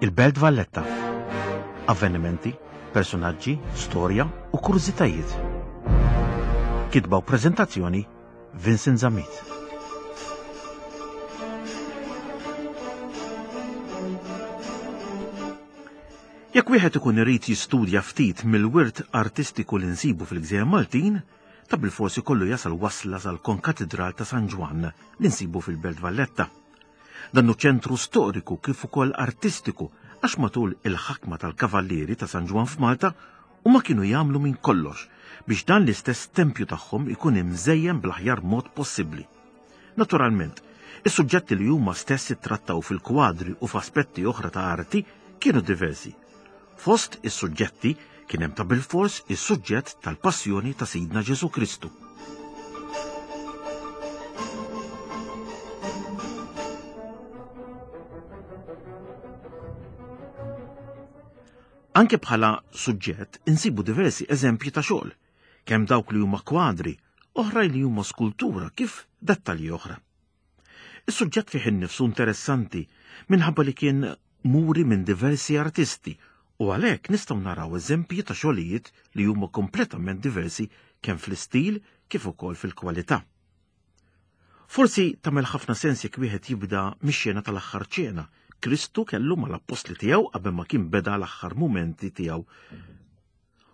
Il-Belt Valletta. Avvenimenti, personaġġi, storja u kurżitajiet. Kitba u preżentazzjoni Vincent Zammit. Jekk wieħed ikun irid jistudja ftit mill-wirt artistiku li nsibu fil-Gżejjer Maltin, ta' bilfors ikollu jasal wasla sal-Konkatidral ta' San Ġwann li nsibu fil-Belt Valletta. Dan hu ċentru storiku kif ukoll artistiku għax matul il-ħakma tal-Kavallieri ta' San Ġwann f'Malta huma kienu jagħmlu minn kollox biex dan l-istess tempju tagħhom ikun imżejjen bl-aħjar mod possibbli. Naturalment, is-suġġetti li huma stess ittrattaw fil-kwadri u f'aspetti oħra ta' arti kienu diversi. Fost is-suġġetti kien hemm ta' bilfors is-suġġett tal-passjoni ta' Sidna Ġesù Kristu. Anke bħala suġġett insibu diversi eżempji ta' xogħol, kemm dawk li huma kwadri, oħrajn li huma skultura kif dettalji oħra. Is-suġġett fih innifsu interessanti minħabba li kien muri minn diversi artisti u għalhekk nistgħu naraw eżempji ta' xogħlijiet li huma kompletament diversi kemm fl-istil kif ukoll fil-kwalità. Forsi tagħmel ħafna sens jekk wieħed jibda mix-xena tal-aħħar ċena. Kristu kellu mal-appostli tiegħu qabel ma kien beda l-aħħar mumenti tiegħu.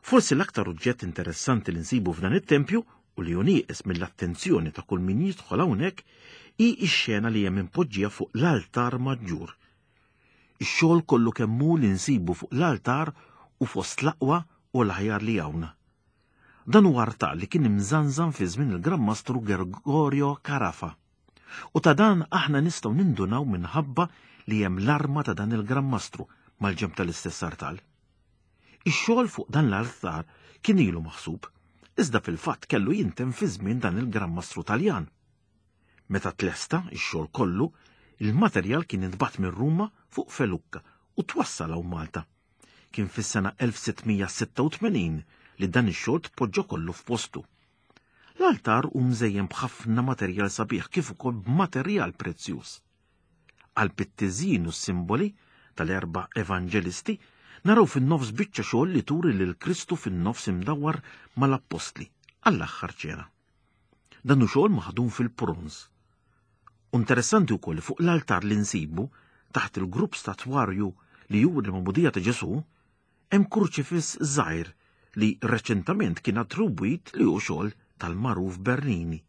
Forsi l-aktar oġġett interessanti li nsibu f'dan it-tempju u li hu nieqes mill-attenzjoni ta' kull min jidħol hawnhekk hi x-xena li hemm impoġġija fuq l-altar maġġur. Ix-xogħol kollu kemm hu li nsibu fuq l-altar u fost l-aqwa u l-aħjar li hawn. Dan huwa artal li kien imżanżan fi żmien il-Gran Mastru Gregorio Carafa. U ta' dan aħna nistgħu nindunaw minħabba li hemm l-arma ta' dan il-Gran Mastru mal-ġenb tal-istess artal. Ix-xogħol fuq dan l-altar kien ilu maħsub, iżda fil-fatt kellu jintemm fi żmien dan il-Gran Mastru Taljan. Meta tlesta x-xogħol kollu, il-materjal kien intbagħat minn Ruma fuq felukka u twassal hawn Malta. Kien fis-sena 1686 li dan ix-xogħol tpoġġa kollu f'postu. L-altar hu mżejjen b'ħafna materjal sabiħ kif ukoll b'materjal prezzjuż. Qalb it-tiżjin u s-simboli tal-erba' evanġelisti, naraw fin-nofs biċċa xogħol li turi lil Kristu fin-nofs imdawwar mal-appostli għall-aħħar ċena. Dan hu xogħol maħdum fil-bronż. U interessanti wkoll li fuq l-altar li nsibu taħt il-grupp statwarju li juri l-magħmudija ta' Ġesù, hemm kurċifiss żgħir li reċentament kien attribwit li hu xogħol tal-magħruf Bernini.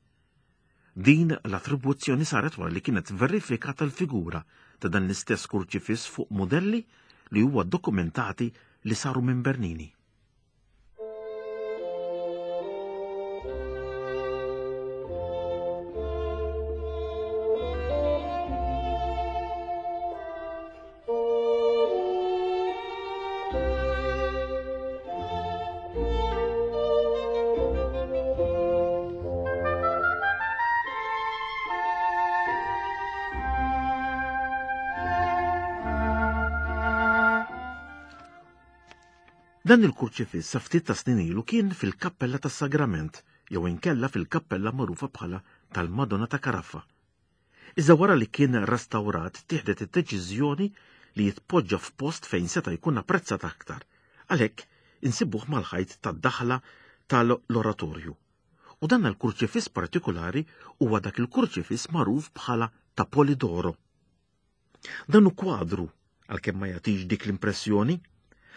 Din l-attribuzzjoni saret wara li kienet verifikata l-figura ta' dan l-istess kurċifiss fuq mudelli li huwa dokumentati li saru minn Bernini. Dan il-kurċifiss sa ftit ta' snin ilu kien fil-Kappella tas-Sagrament jew inkella fil-kappella magħrufa bħala tal-Madonna ta' Karaffa. Iżda wara li kien restawrat ttieħdet id-deċiżjoni li jitpoġġa f'post fejn seta' jkun apprezzat aktar. Għalhekk insibuh mal-ħajt tad-daħla tal-oratorju. U dan l-kurċifiss partikulari huwa dak il-kurċifiss magħruf bħala ta' Polidoro. Dan hu kwadru, għalkemm ma jagħtix dik l-impressjoni.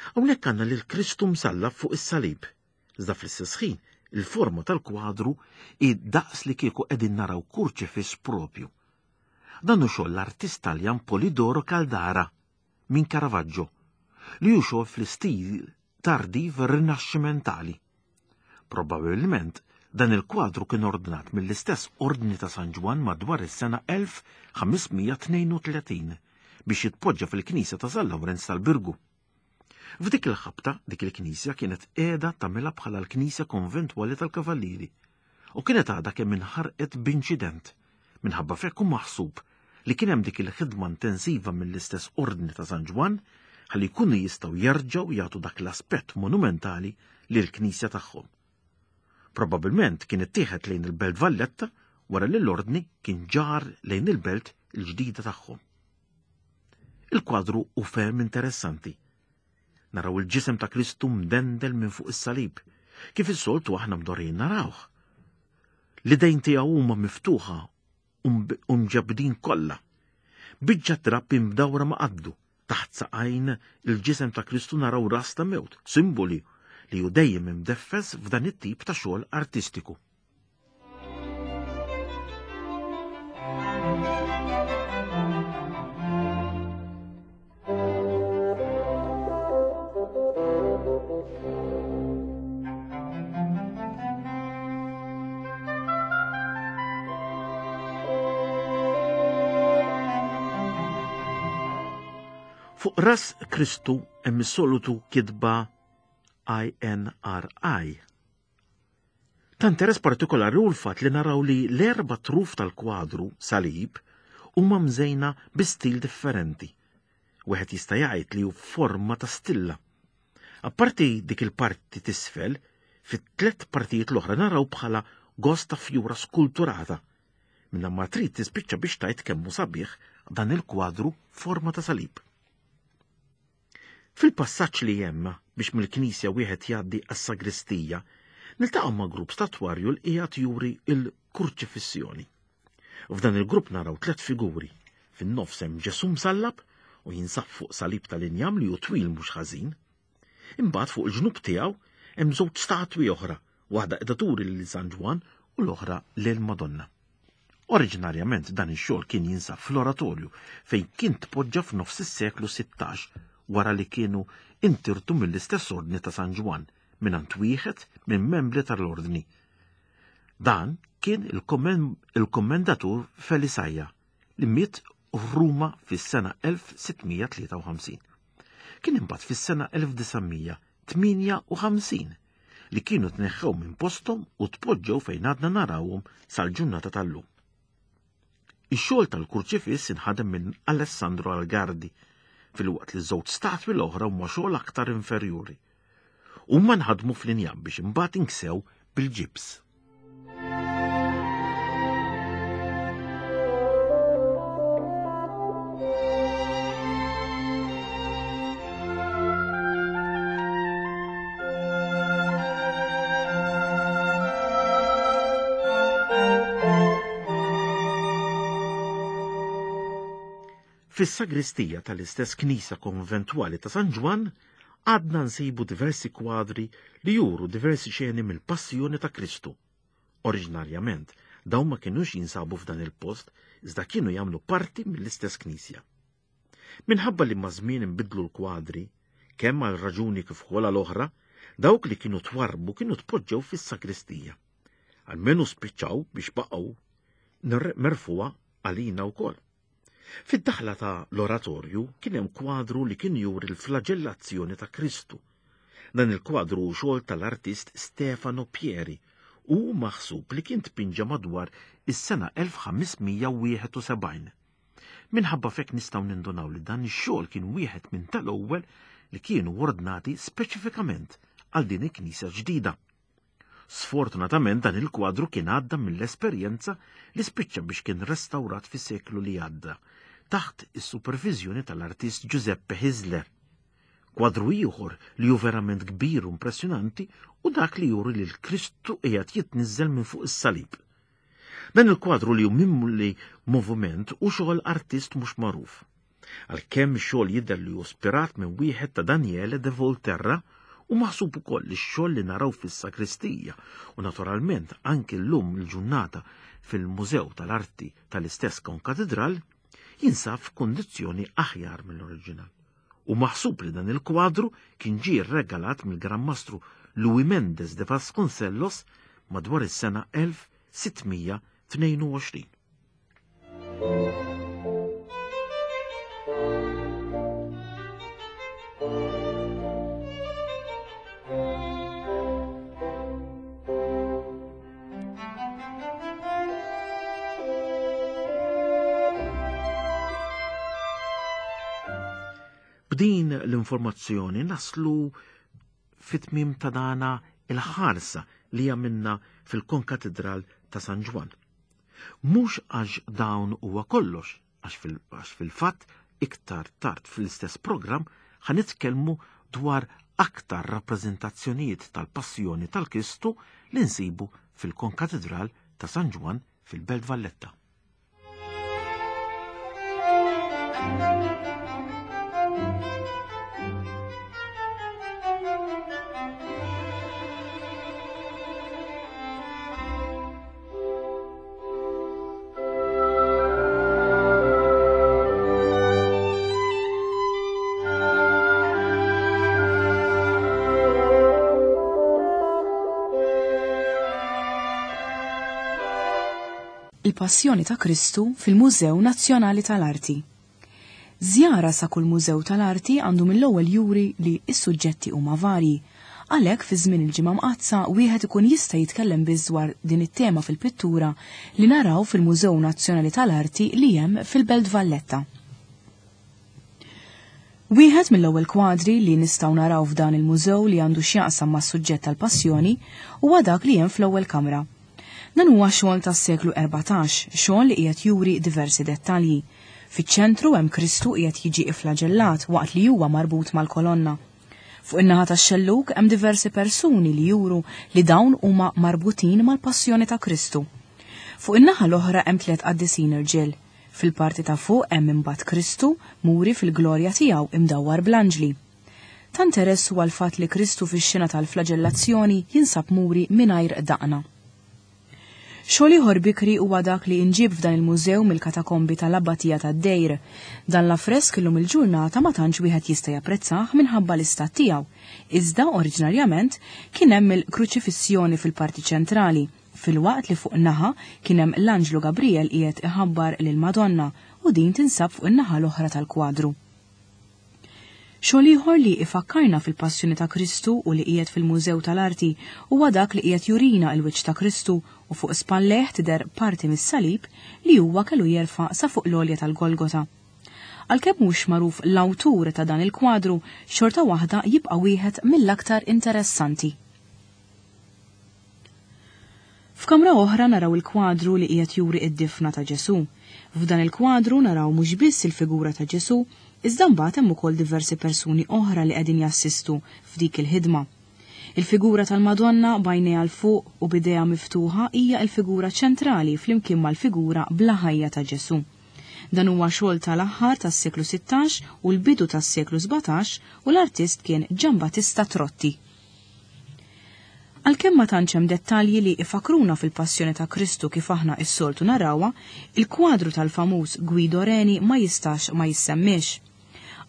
Hawnhekk għandna lil Kristu msallab fuq is-salib. Iżda fl-istess ħin, il-forma tal-kwadru hi daqs li kieku qegħdin naraw kurċifiss propju. Dan hu xogħol l-artist Taljan Polidoro Caldara minn Caravaggio, li hu xogħol fl-istil tardiv rinaxximentali. Probabbilment, dan il-kwadru kien ordnat mill-istess Ordni ta' San Ġwann madwar is-sena 1532 biex jitpoġġa fil-knisja ta' San Lawrenz tal-Birgu. F'dik il-ħabta, dik il-knisja kienet qiegħda tagħmilha bħala l-knisja konventwali tal-Kavallieri u kienet għadha kemm inħarqet b'inċident. Minħabba f'hekk hu maħsub li kien hemm dik il-ħidma intensiva mill-istess Ordni ta' San Ġwann ħalli jkunu jistgħu jerġgħu jagħtu dak l-aspett monumentali lill-knisja tagħhom. Probabbilment kien ittieħed lejn il-Belt Valletta wara li l-Ordni kien ġar lejn il-belt il-ġdida tagħhom. Il-kwadru hu ferm interessanti. Naraw il-ġisem ta' Kristu mdendel minn fuq is-salib, kif is-soltu aħna mdorrijin narawh. L-idejn tiegħu huma miftuħa u mġebbdin kollha. Biċċa trab imdawra ma' qaddu, taħt saqajn il-ġisem ta' Kristu naraw ras ta' mewt, simboli li hu dejjem imdeffes f'dan it-tip ta' xogħol artistiku. Fuq ras Kristu hemm is-solitu kitba INRI. Ta' interess partikolari hu l-fatt li naraw li l-erba' truf tal-kwadru salib huma mżejna bi stil differenti. Wieħed jista' jgħid li hu f'forma ta' stilla. Apparti dik il-parti t'isfel, fit-tliet partijiet l-oħra naraw bħala gost ta' fjura skulturata. Minna ma trid tispiċċa biex tgħid kemm hu sabiħ dan il-kwadru forma ta' salib. Fil-passaġġ li hemm biex mill-knisja wieħed jgħaddi għas-sagristija, niltaqgħu ma' grupp statwarju li qiegħed juri l-kurċifissjoni. F'dan il-grupp naraw tliet figuri. Fin-nofs hemm Ġesù msallab u jinsab fuq salib tal-injam li hu twil mhux ħażin. Imbagħad fuq il-ġnub tiegħu hemm żewġ statwi oħra, waħda qiegħda turi lil San Ġwann u l-oħra lil Madonna. Oriġinarjament dan ix-xogħol kien jinsab fl-oratorju fejn kien tpoġġa f'nofs is-seklu 16 wara li kienu intirtu mill-istess ordni ta' San Ġwann mingħand wieħed minn membri tal-ordni. Dan kien il-kommendatur Felisaja li miet f'Ruma fis-sena 1653. Kien imbagħad fis-sena 1958 li kienu tneħħew minn posthom u tpoġġew fejn għadna narawhom sal-ġurnata tal-lum. Ix-xogħol tal-kurċifiss inħadem minn Alessandro Algardi, filwaqt li żewġ statwi l-oħra huma xogħol aktar inferjuri. Huma nħadmu fl-injam biex imbagħad inksew bil-ġibs. Fis-sagristija tal-istess knisja konventwali ta' San Ġwann għadna nsibu diversi kwadri li juru diversi xeni mill-Passjoni ta' Kristu. Oriġinarjament, dawn ma kinux jinsabu f'dan il-post, iżda kienu jagħmlu parti mill-istess knisja. Minħabba li maż-żmien inbidlu l-kwadri, kemm għal raġuni kif ukoll għal oħra, dawk li kienu twarrbu kienu tpoġġew fis-sagristija. Almenu spiċċaw biex baqgħu merfugħa għalina wkoll. Fid-daħla ta' l-oratorju kien hemm kwadru li kien juri l-flaġellazzjoni ta' Kristu. Dan il-kwadru hu xogħol tal-artist Stefano Pieri u hu maħsub li kien tpinġa madwar is-sena 1571. Minħabba f'hekk nistgħu nindunaw li dan ix-xogħol kien wieħed minn tal-ewwel li kienu ordnati speċifikament għal din il-knisja ġdida. Sfortunatament dan il-kwadru kien għadda mill-esperjenza li spiċċa biex kien restawrat fis-seklu li għadda taħt is-superviżjoni tal-artist Giuseppe Hisler. Kwadru ieħor li hu verament kbir u impressjonanti u dak li juri li l-Kristu qiegħed jitniżżel minn fuq is-salib. Dan il-kwadru li hu mimli moviment u xogħol artist mhux magħruf. Għalkemm ix-xogħol jidher li hu spirat minn wieħed ta' Daniele de Volterra, hu maħsub ukoll li x-xogħol li naraw fis-sagristija u naturalment anki llum il-ġurnata fil-Mużew tal-Arti tal-istess Konkatidral jinsab f'kundizzjoni aħjar mill-oriġinal. Hu maħsub li dan il-kwadru kien ġie rregalat mill-Gran Mastru Louis Mendes de Vasconcellos madwar is-sena 1622. B'din l-informazzjoni naslu fit-tmiem ta' dana il-ħarsa li għamilna fil-Konkatidral ta' San Ġwann. Mhux għax dawn huwa kollox, għax fil-fatt Iktar tard fl-istess programm ħa nitkellmu dwar aktar rappreżentazzjonijiet tal-Passjoni tal-Kristu li nsibu fil-Konkatidral ta' San Ġwann fil-Belt Valletta. Il-Passjoni ta' Kristu fil-Mużew Nazzjonali tal-Arti. Żjara sa kull mużew tal-arti għandu mill-ewwel juri li s-suġġetti huma varji. Għalhekk fi żmien il-Ġimgħa Mqaddsa wieħed ikun jista' jitkellem biss dwar din it-tema fil-pittura li naraw fil-Mużew Nazzjonali tal-Arti li hemm fil-Belt Valletta. Wieħed mill-ewwel kwadri li nistgħu naraw f'dan il-mużew li għandu x'jaqsam mas-suġġett tal-Passjoni huwa dak li hemm fl-ewwel kamra. Dan huwa xogħol tas-seklu 14, xogħol li qiegħed juri diversi dettalji. Fiċ-ċentru hemm Kristu qiegħed jiġi ifflaġellat waqt li huwa marbut mal-kolonna. Fuq in-naħa tax-xellug hemm diversi persuni li juru li dawn huma marbutin mal-passjoni ta' Kristu. Fuq in-naħa l-oħra hemm tliet qaddisin irġiel. Fil-parti ta' fuq hemm imbagħad Kristu muri fil-glorja tiegħu imdawwar bl-anġli. Ta' interess huwa l-fatt li Kristu fix-xena tal-flaġellazzjoni jinsab muri mingħajr daqna. Xogħol ieħor bikri huwa dak li inġieb f'dan il-mużew mill-katakombi tal-Abbatija tad-Dejr. Dan l-affresk illum il-ġurnata ma tantx wieħed jista' japprezzah minħabba l-istat tiegħu, iżda oriġinarjament kien hemm il-Kruċifissjoni fil-parti ċentrali, filwaqt li fuq naħa kien hemm l-Anġlu Gabrijel qiegħed iħabbar lill-Madonna u din tinsab fuq in-naħa l-oħra tal-kwadru. Xogħol ieħor li ifakkarna fil-Passjoni ta' Kristu u li qiegħed fil-Mużew tal-Arti huwa dak li qiegħed jurina l-wiċċ ta' Kristu u fuq spallejh tidher parti mis-salib li huwa kellu jerfa' sa fuq l-għolja tal-Golgota. Għalkemm mhux magħruf l-awtur ta' dan il-kwadru, xorta waħda jibqa' wieħed mill-aktar interessanti. F'kamra oħra naraw il-kwadru li qiegħed juri d-difna ta' Ġesù. F'dan il-kwadru naraw mhux biss il-figura ta' Ġesù, iżda mbagħad hemm ukoll diversi persuni oħra li qegħdin jassistu f'dik il-ħidma. Il-figura tal-Madonna b'għajnejha 'l fuq u b'idejha miftuħa hija l-figura ċentrali flimkien mal-figura bla ħajja ta' Ġesù. Dan huwa xogħol tal-aħħar tas-seklu 16 u l-bidu tas-seklu 17 u l-artist kien Giambattista Trotti. Għalkemm ma tantx hemm dettalji li ifakruna fil-passjoni ta' Kristu kif aħna s-soltu narawha, il-kwadru tal-famuż Guido Reni ma jistax ma jissemmiex.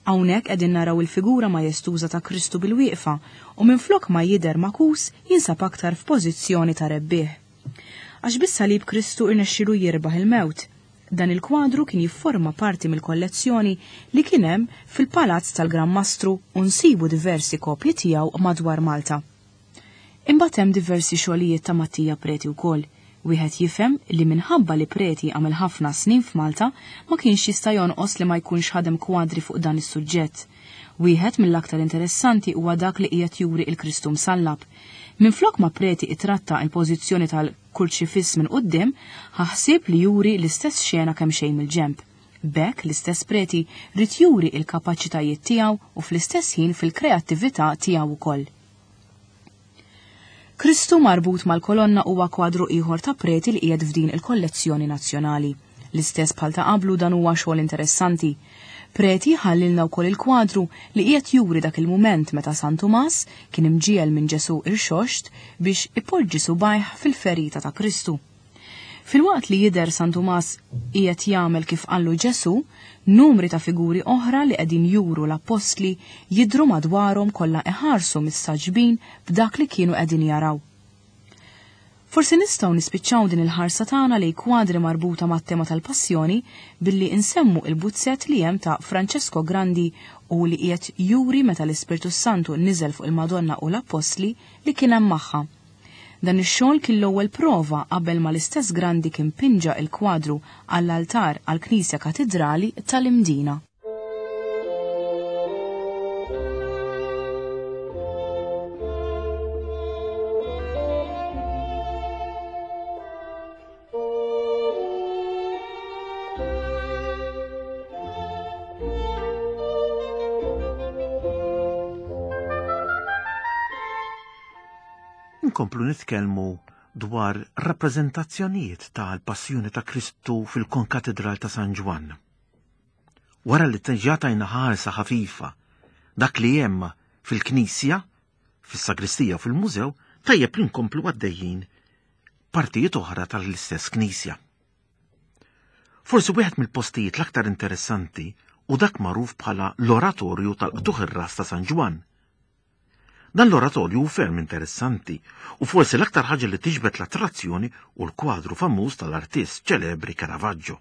Hawnhekk qegħdin naraw il-figura majestuża ta' Kristu bil-wieqfa u minflok ma jidher magħkus jinsab aktar f'pożizzjoni ta' rebbieħ. Għax bis-salib Kristu rnexxielu jirbaħ il-mewt. Dan il-kwadru kien jifforma parti mill-kollezzjoni li kien hemm fil-Palazz tal-Gran Mastru u nsibu diversi kopji tiegħu madwar Malta. Imbagħad hemm diversi xogħlijiet ta' Mattia Preti wkoll. Wieħed jifhem li minħabba li Preti għamel ħafna snin f'Malta ma kienx jista' jonqos li ma jkunx ħadem kwadri fuq dan is-suġġett. Wieħed mill-aktar interessanti huwa dak li qiegħed juri l-Kristu msallab. Minflok ma Preti ittratta l-pożizzjoni tal Kurċifiss minn quddiem, ħa ħsieb li juri l-istess xena kemxejn mill-ġenb. B'hekk l-istess Preti ried juri l-kapaċitajiet tiegħu u fl-istess ħin fil-kreattività tiegħu wkoll. Kristu marbut mal-kolonna huwa kwadru ieħor ta' Preti li qiegħed f'din il-kollezzjoni nazzjonali. L-istess bħal ta' qablu dan huwa xogħol interessanti. Preti ħallilna wkoll il-kwadru li qiegħed juri dak il-mument meta San Tumas kien imġiegħel minn Ġesù irxoxt biex ipoġġi subgħajh fil-ferita ta' Kristu. Filwaqt li jidher San Tumas qiegħed jagħmel kif qallu Ġesù, numri ta' figuri oħra li qegħdin juru l-appostli jidhru madwarhom kollha iħarsu mistagħġbin b'dak li kienu qegħdin jaraw. Forsi nistgħu nispiċċaw din il-ħarsa tagħna lejn kwadri marbuta mat-tema tal-Passjoni billi nsemmu il-buzzett li hemm ta' Francesco Grandi u li qiegħed juri meta l-Ispirtu s-Santu niżel fuq il-Madonna u l-Appostli li kien hemm magħha. Dan ix-xogħol kien l-ewwel prova qabel ma l-istess Grandi kien pinġa il-kwadru għall-altar għall-Knisja Katidrali tal-Imdina. Inkomplu nitkellmu dwar rappreżentazzjonijiet tal-Passjoni ta' Kristu fil-Konkatedral ta' San Ġwann. Wara li diġà tajna ħarsa ħafifa dak li hemm fil-knisja, fis-sagristija u fil-mużew, tajjeb li nkomplu għaddejjin partijiet oħra tal-istess knisja. Forsi wieħed mill-postijiet l-aktar interessanti u dak magħruf bħala l-Oratorju tal-Qtugħ ir-Ras ta' San Ġwann. Dan l-oratorju hu ferm interessanti u forsi l-aktar ħaġa li tiġbed l-attrazzjoni hu l-kwadru famuż tal-artist ċelebri Caravaggio.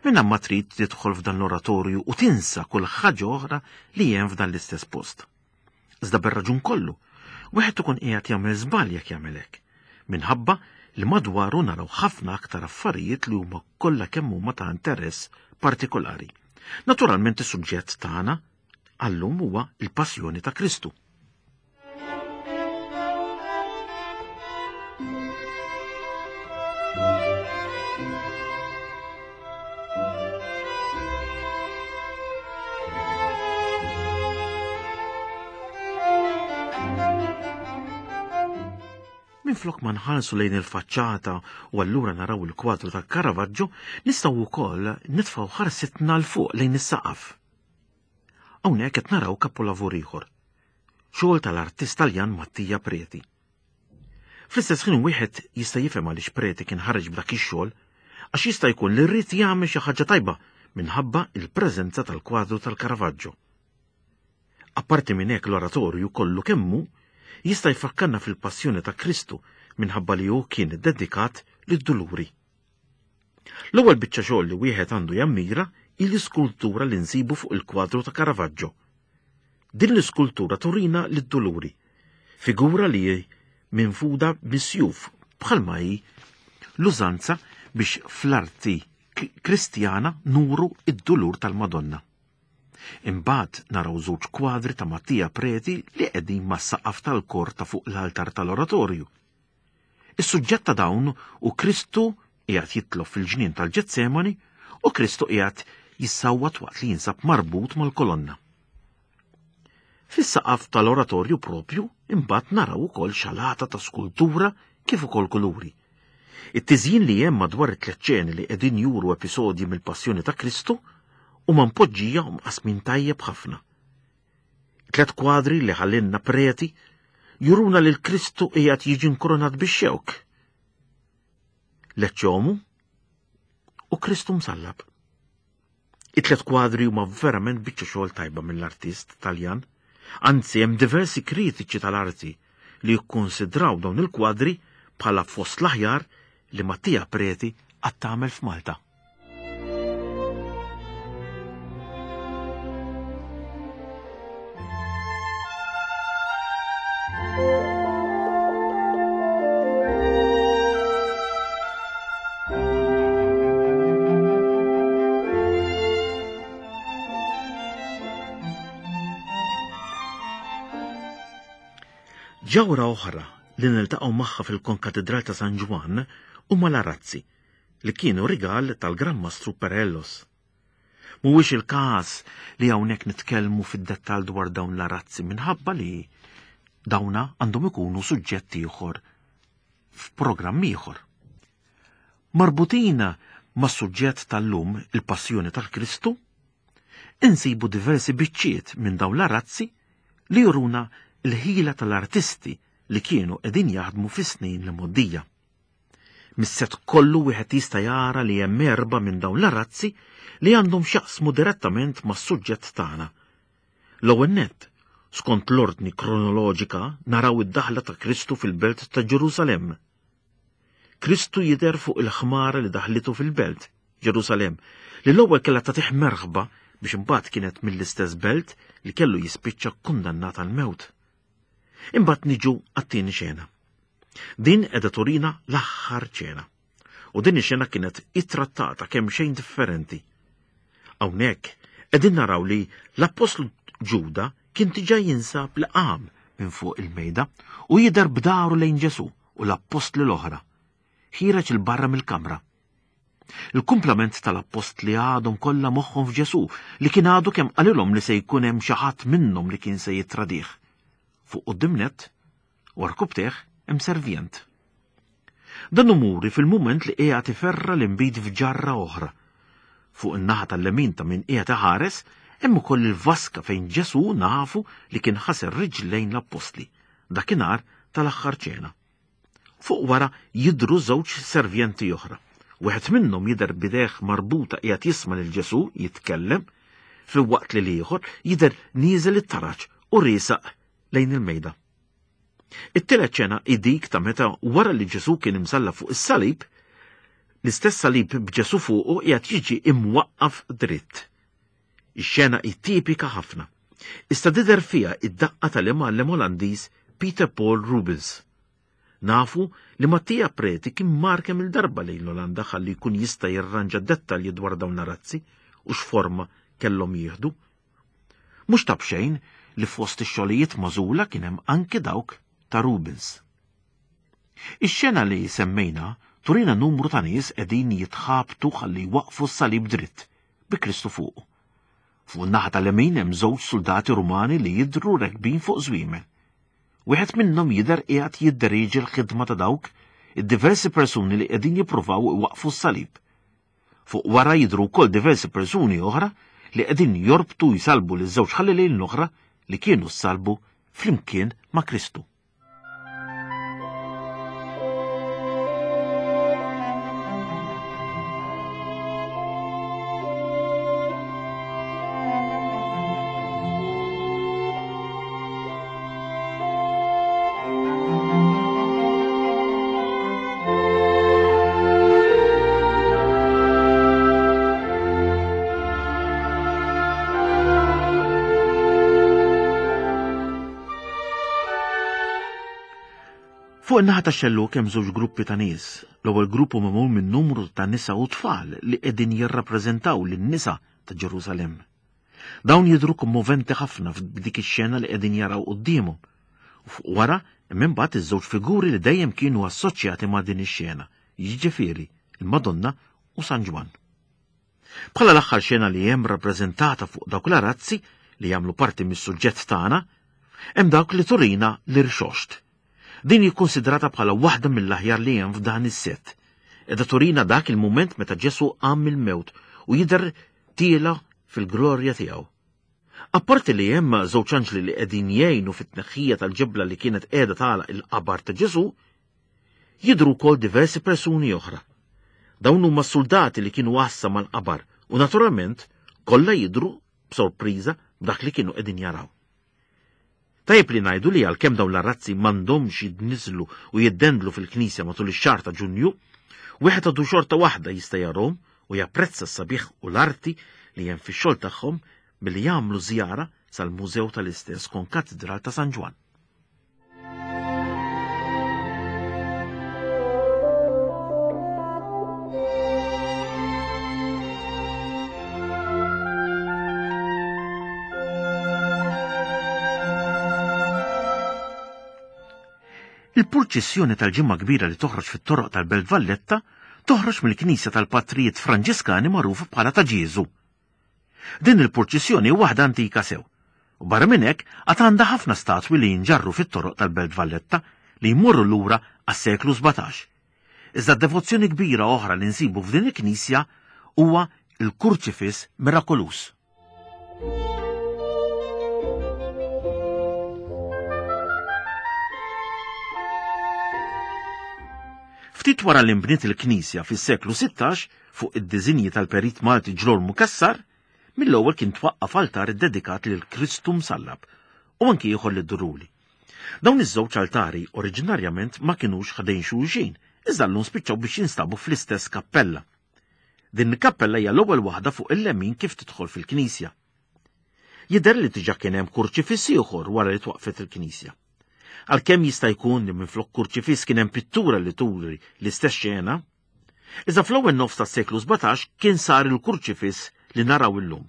Minn ma trid tidħol f'dan l-oratorju u tinsa kull ħaġa oħra li hemm f'dan l-istess post. Iżda bir-raġun kollu, wieħed ikun qiegħed jagħmel żball jekk jagħmel hekk, minħabba li madwaru naraw ħafna aktar affarijiet li huma kollha kemm huma ta' interess partikolari. Naturalment is-suġġett tagħna għallum huwa l-passjoni ta' Kristu. Minflok ma nħarsu lejn il-faċċata u allura naraw il-kwadru ta' Caravaggio, nistgħu wkoll nitfgħu ħarsitna 'l fuq lejn is-saqaf. Hawnhekk qed naraw kapolavur ieħor. Xogħol tal-artist Taljan Mattia Preti. Fl-istess ħin wieħed jista' jifhem għaliex Preti kien ħareġ b'dak ix-xogħol għax jista' jkun li rrid jagħmel xi ħaġa tajba minħabba il-preżenza tal-kwadru tal-Caravaggio. Apparti minn hekk l-oratorju kollu kemmu jista' jfakkarna fil-passjoni ta' Kristu minħabba li hu kien iddedikat lid-duluri. L-ewwel biċċa xogħol li wieħed għandu jammira hi l-iskultura li nsibu fuq il-kwadru ta' Caravaggio. Din l-iskultura turina lid-duluri, figura li hi minfuda bis-sjuf bħalma hi l-użanza biex fl-arti Kristjana nuru id-dulur tal-Madonna. Imbagħad naraw żewġ kwadri ta' Mattia Preti li qegħdin mas-saqaf tal-kor ta' fuq l-altar tal-oratorju. Is-suġġett ta' dawn hu Kristu qiegħed jitlob fil-ġnien tal-Ġetsemani u Kristu qiegħed jissawwat waqt li jinsab marbut mal-kolonna. Fis-saqaf tal-oratorju propju imbagħad naraw ukoll xalata ta' skultura kif ukoll kuluri. It-tiżjin li hemm madwar it-tliet ċeni li qegħdin juru episodji mill-Passjoni ta' Kristu huma mpoġġija u mqasmin tajjeb ħafna. Tlet kwadri li ħallinna preti juruna li l-Kristu qiegħed jiġi nkoronat bix-xewk. Leċċomu u Kristu msallab. It-tlet kwadri huma verament biċċa xogħol tajba mill-artist Taljan. Anzi, hemm diversi kritiċi tal-arti li jikkonsidraw dawn il-kwadri bħala fost l-aħjar li Mattia Preti qatt tagħmel f'Malta. Ġawra oħra li niltaqgħu magħha fil-Konkatedral ta' San Ġwann huma l-arazzi li kienu rigal tal-Gran Mastru Perellos. Mhuwiex il-każ li hawnhekk nitkellmu fid-dettall dwar dawn l-arazzi minħabba li dawna għandhom ikunu suġġett ieħor f'programm ieħor. Marbutin mas-suġġett tal-lum il-Passjoni tal-Kristu, insibu diversi biċċiet minn dawn l-arazzi li juruna l-ħila tal-artisti li kienu qegħdin jaħdmu fis-snin l-imgħoddija. Mis-sett kollu wieħed jista' jara li hemm erbgħa minn dawn l-arazzi li għandhom x'jaqsmu direttament mas-suġġett tagħna. L-ewwel nett, skont l-ordni kronoloġika naraw id-daħla ta' Kristu fil-belt ta' Ġerusalemm. Kristu jidher fuq il-ħmara li daħlitu fil-belt, Ġerusalemm, li l-ewwel kellha tagħtih merħba biex imbagħad kienet mill-istess belt li kellu jispiċċa kkundannat għall-mewt. Imbagħad niġu għat-tieni xena. Din qiegħda turina l-aħħar ċena. U din ix-xena kienet ittrattata kemm xejn differenti. Hawnhekk qegħdin naraw li l-Appostlu Ġuda kien diġà jinsab li qam minn fuq il-mejda u jidher b'daru lejn Ġesù u l-appostli l-oħra. Ħiereġ 'il barra mill-kamra. Il-kumplament tal-appostli għadhom kollha moħħhom f'Ġesù li kien għadu kemm qalilhom li se jkun hemm xi ħadd minnhom li kien se jittradih. Fuq quddiem nett, u rkubteh, hemm servjent. Dan hu muri fil-mument li qiegħed iferra l-inbid f'ġarra oħra. Fuq in-naħa tal-lemin ta' min qiegħed iħares hemm ukoll il-vaska fejn Ġesù nafu li kien ħasel riġlejn l-appostli dakinhar tal-aħħar ċena. Fuq wara jidhru żewġ servjenti oħra. Wieħed minnhom jidher b'idejh marbuta qiegħed jisma' lil Ġesù jitkellem, filwaqt li l-ieħor jidher nieżel it-taraġ u riesaq lejn il-mejda. It-tielet ċena hi dik ta' meta wara li Ġesù kien imsallab fuq is-salib, l-istess salib b'Ġesù fuqu qiegħed jiġi imwaqqaf dritt. Ix-xena hi tipika ħafna. Iżda tidher fiha id-daqqa tal-imgħallem Olandiż Peter Paul Rubens. Nafu li Mattia Preti kien mar kemm il-darba lejn l-Olanda ħalli jkun jista' jirranġa dettalji dwar dawn l-arazzi u x'forma kellhom jieħdu. Mhux ta' b'xejn li fost ix-xogħlijiet magħżula kien hemm anki dawk ta' Rubens. Ix-xena li semmejna turina numru ta' nies qegħdin jitħabtu ħalli jwaqqfu s-salib dritt bi Kristu fuqu. Fuq in-naħa tal-lemin hemm żewġ suldati Rumani li jidhru rekbin fuq żwiemel. Wieħed minnhom jidher qiegħed jidderieġi l-ħidma ta' dawk id-diversi persuni li qegħdin jippruvaw iwaqqfu s-salib. Fuq wara jidhru wkoll diversi persuni oħra li qegħdin jorbtu jsalbu liż-żewġ ħallelin l-oħra li kienu ssalbu flimkien ma' Kristu. Fuq in-naħa tax-xellug hemm żewġ gruppi ta' nies. L-ewwel grupp hu magħmul minn numru ta' nisa u tfal li qegħdin jirrappreżentaw lin-nisa ta' Ġerusalemm. Dawn jidhru kommoventi ħafna f'dik ix-xena li qegħdin jaraw quddiemhom. U fuq wara hemm imbagħad iż-żewġ figuri li dejjem kienu assoċjati ma' din ix-xena, jiġifieri il-Madonna u San Ġwann. Bħala l-aħħar xena li hemm rappreżentata fuq dawk l-arazzi li jagħmlu parti mis-suġġett tagħna, hemm dawk li turina l-irxoxt. Din hi kkunsidrata bħala waħda mill-aħjar li hemm f'dan is-sett. Qiegħda turina dak il-mument meta Ġesù qam mill-mewt u jidher tiela fil-glorja tiegħu. Apparti li hemm żewġ anġli li qegħdin jgħinu fit-tneħħija tal-ġebla li kienet qiegħda tagħlaq il-qabar ta' Ġesù, Jidhru wkoll diversi persuni oħra. Dawn huma s-suldati li kienu għassa mal-qabar u naturalment kollha jidhru b'sorpriża b'dak li kienu qegħdin jaraw. Tajjeb li ngħidu li għalkemm dawn l-arazzi m'għandhomx jidniżlu u jiddendlu fil-knisja matul ix-xahar ta' Ġunju, wieħed għadu xorta waħda jista' jarhom u japprezza s-sabiħ u l-arti li hemm fix-xogħol tagħhom billi jagħmlu żjara sal-mużew tal-istess Konkatidral ta' San Ġwann. Il-purċissjoni tal-Ġimgħa Kbira li toħroġ fit-toroq tal-Belt Valletta toħroġ mill-Knisja tal-Patrijiet Franġiskani magħrufa bħala ta' Ġieżu. Din il-purċissjoni hi waħda antika sew. U barra minn hekk għad għandha ħafna statwi li jinġarru fit-toroq tal-Belt Valletta li jmorru lura għas-seklu 17. Iżda devozzjoni kbira oħra li nsibu f'din il-knisja huwa l-Kurċifiss Mirakoluż. Ftit wara li nbniet il-knisja fis-seklu 16 fuq id-diżinji tal-perit Malti Ġlormu Cassar, mill-ewwel kien twaqqaf altar iddedikat lil Kristu Msallab u anki ieħor lid-Duruli. Dawn iż-żewġ altari oriġinarjament ma kinux ħdejn xulxin, iżda llum spiċċaw biex jinstabu fl-istess kappella. Din il-kappella hija l-ewwel waħda fuq il-lemin kif tidħol fil-knisja. Jidher li diġà kien hemm kurċifiss ieħor wara li twaqqfet il-knisja. Għalkemm jista' jkun li minflok kurċifiss kien hemm pittura li turi l-istess xena, iżda fl-ewwel nofs tas-seklu 17 kien sar il-kurċifiss li naraw illum.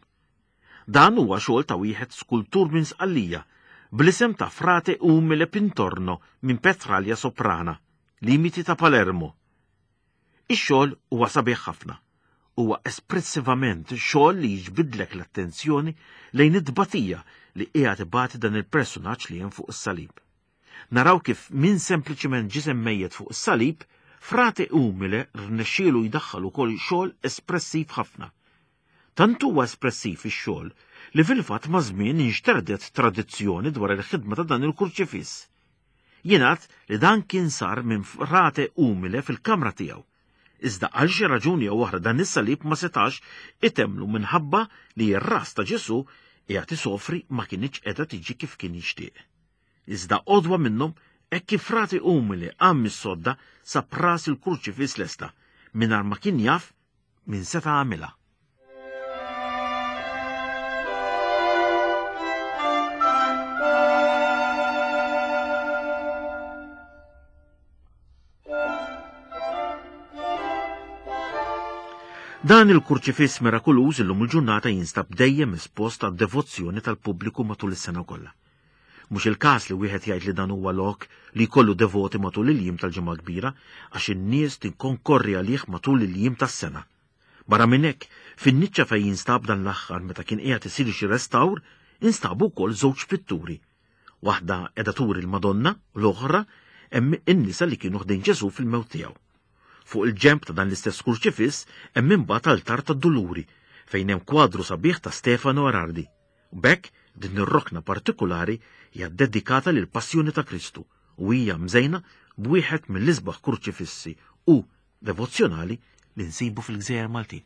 Dan huwa xogħol ta' wieħed skultur minn Sqallija bl-isem ta' Frate Umile Pintorno minn Petralia Soprana, limiti ta' Palermo. Ix-xogħol huwa sabiħ ħafna. Huwa espressivament xogħol li jiġbidlek l-attenzjoni lejn it-tbatija li qiegħed ibati dan il-persunaġġ li hemm fuq is-salib. naraw kif minn sempliċiment ġisem mejjet fuq is-salib, Frate Umile rnexxielu jdaħħal ukoll xogħol espressiv ħafna. Tant huwa espressiv ix-xogħol li fil-fatt maż-żmien inxterdet tradizzjoni dwar il-ħidma ta' dan il-kurċifiss. Jingħad li dan kien sar minn Frate Umile fil-kamra tiegħu. Iżda għal xi raġuni jew oħra dan is-salib ma setax itemmlu minħabba li r-ras ta' Ġesù qiegħed isofri ma kinitx qiegħda tiġi kif kien jixtieq. Iżda għodwa minnhom hekk kif frati umili qam mis-sodda sab ras il-kurċifiss lesta mingħajr ma kien jaf min seta' għamilha. Dan il-kurċifiss mirakuluż illum il-ġurnata jinstab dejjem espost għad-devozzjoni tal-pubbliku matul is-sena kollha. Mhux il-każ li wieħed jgħid li dan huwa lok li jkollu devoti matul il-jiem tal-Ġimgħa Kbira għax in-nies tinkonkorri għalih matul il-jiem tas-sena. Barra minn hekk, fin-niċċa fejn jinstab dan l-aħħar meta kien qiegħed isir xi restawr, instabu wkoll żewġ pitturi. Waħda qiegħda turi l-Madonna u l-oħra hemm in-nisa li kienu ħdejn Ġesù fil-mewt tiegħu. Fuq il-ġenb ta' dan l-istess kurċifiss hemm imbagħad altar tad-Duluri fejn hemm kwadru sabiħ ta' Stefano Arardi. U b'hekk din ir-rokna partikulari hija ddedikata lill-Passjoni ta' Kristu u hija mżejna b'wieħed mill-isbaħ kurċifissi u devozzjonali li nsibu fil-Gżejjer Maltin.